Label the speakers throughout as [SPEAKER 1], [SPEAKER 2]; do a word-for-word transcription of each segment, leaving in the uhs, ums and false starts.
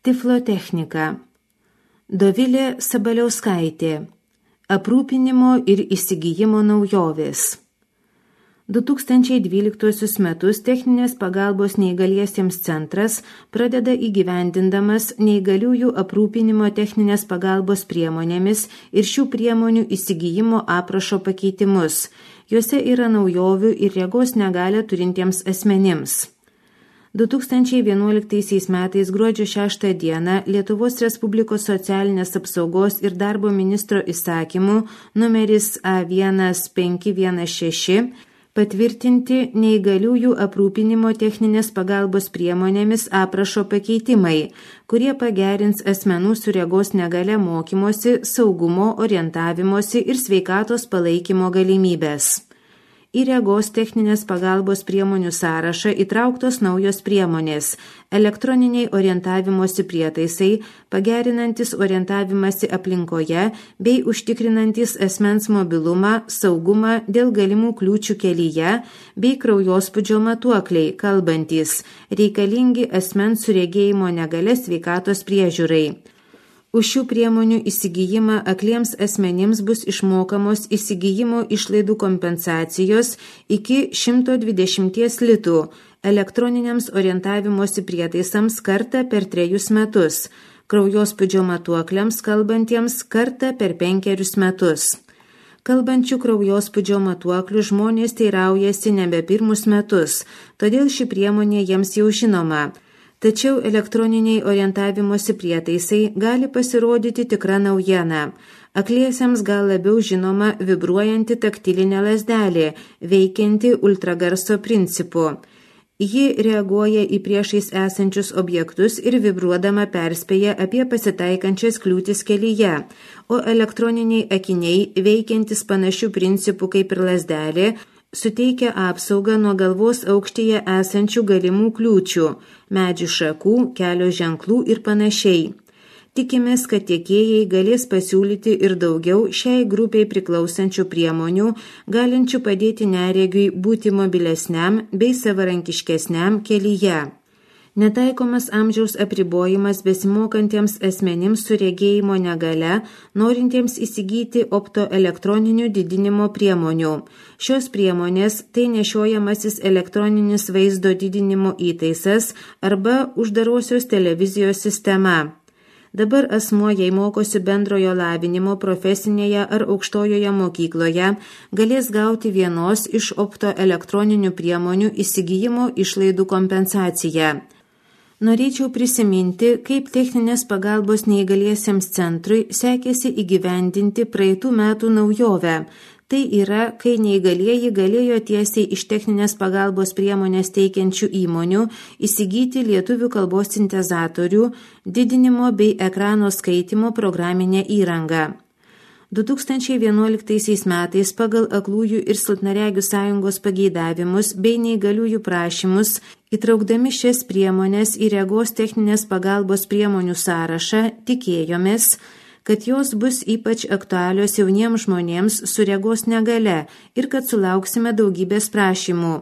[SPEAKER 1] Tiflotechnika. Dovilė Sabaliauskaitė. Aprūpinimo ir įsigijimo naujovės. du tūkstančiai dvyliktuosius metus Techninės pagalbos neįgaliesiems centras pradeda įgyvendindamas neįgaliųjų aprūpinimo techninės pagalbos priemonėmis ir šių priemonių įsigijimo aprašo pakeitimus. Juose yra naujovių ir regos negalią turintiems asmenims. du tūkstančiai vienuoliktaisiais metais gruodžio šeštą dieną Lietuvos Respublikos socialinės apsaugos ir darbo ministro įsakymu numeris A vienas penki vienas šeši patvirtinti neįgaliųjų aprūpinimo techninės pagalbos priemonėmis aprašo pakeitimai, kurie pagerins asmenų su regos negalia mokymosi, saugumo, orientavimosi ir sveikatos palaikymo galimybės. Į regos techninės pagalbos priemonių sąrašą įtrauktos naujos priemonės – elektroniniai orientavimosi prietaisai, pagerinantis orientavimąsi aplinkoje bei užtikrinantis asmens mobilumą, saugumą dėl galimų kliūčių kelyje bei kraujospūdžio matuokliai, kalbantys, reikalingi asmens su regėjimo negalia sveikatos priežiūrai. Už šių priemonių įsigijimą akliems asmenims bus išmokamos įsigijimo išlaidų kompensacijos iki šimto dvidešimt litų, elektroniniams orientavimosi prietaisams kartą per trejus metus, kraujospūdžio matuokliams kalbantiems kartą per penkerius metus. Kalbančių kraujospūdžio matuoklių žmonės teiraujasi nebe pirmus metus, todėl ši priemonė jiems jau žinoma. Tačiau elektroniniai orientavimosi prietaisai gali pasirodyti tikra naujiena. Akliesiems gal labiau žinoma vibruojanti taktilinė lazdelė, veikianti ultragarso principu. Ji reaguoja į priešais esančius objektus ir vibruodama perspėja apie pasitaikančias kliūtis kelyje, o elektroniniai akiniai, veikiantis panašių principų kaip ir lazdelė, suteikia apsaugą nuo galvos aukštyje esančių galimų kliūčių, medžių šakų, kelio ženklų ir panašiai. Tikimės, kad tiekėjai galės pasiūlyti ir daugiau šiai grupiai priklausančių priemonių, galinčių padėti neregiui būti mobilesniam bei savarankiškesniam kelyje. Netaikomas amžiaus apribojimas besimokantiems asmenims su regėjimo negale, norintiems įsigyti optoelektroninių didinimo priemonių. Šios priemonės tai nešiojamasis elektroninis vaizdo didinimo įtaisas arba uždarosios televizijos sistema. Dabar asmuo, jei mokosi bendrojo lavinimo profesinėje ar aukštojoje mokykloje, galės gauti vienos iš optoelektroninių priemonių įsigijimo išlaidų kompensaciją. Norėčiau prisiminti, kaip techninės pagalbos neįgaliesiems centrui sekėsi įgyvendinti praeitų metų naujovę. Tai yra, kai neįgalieji galėjo tiesiai iš techninės pagalbos priemonės teikiančių įmonių įsigyti lietuvių kalbos sintezatorių, didinimo bei ekrano skaitimo programinę įrangą. du tūkstančiai vienuoliktaisiais metais pagal Aklųjų ir silpnaregių sąjungos pageidavimus bei neįgaliųjų prašymus, įtraukdami šias priemonės į regos techninės pagalbos priemonių sąrašą, tikėjomės, kad jos bus ypač aktualios jauniems žmonėms su regos negale ir kad sulauksime daugybės prašymų.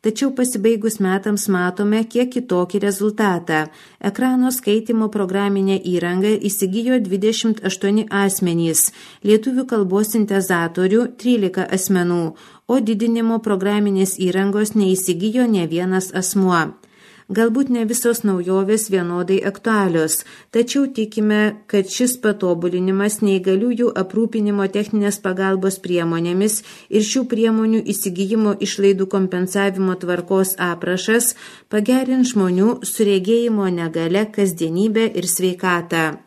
[SPEAKER 1] Tačiau pasibaigus metams matome kiek kitokį rezultatą. Ekrano skaitimo programinę įrangą įsigijo dvidešimt aštuoni asmenys, lietuvių kalbos sintezatorių trylika asmenų, o didinimo programinės įrangos neįsigijo ne vienas asmuo. Galbūt ne visos naujovės vienodai aktualios, tačiau tikime, kad šis patobulinimas neįgaliųjų aprūpinimo techninės pagalbos priemonėmis ir šių priemonių įsigijimo išlaidų kompensavimo tvarkos aprašas pagerins žmonių su regėjimo negale kasdienybę ir sveikatą.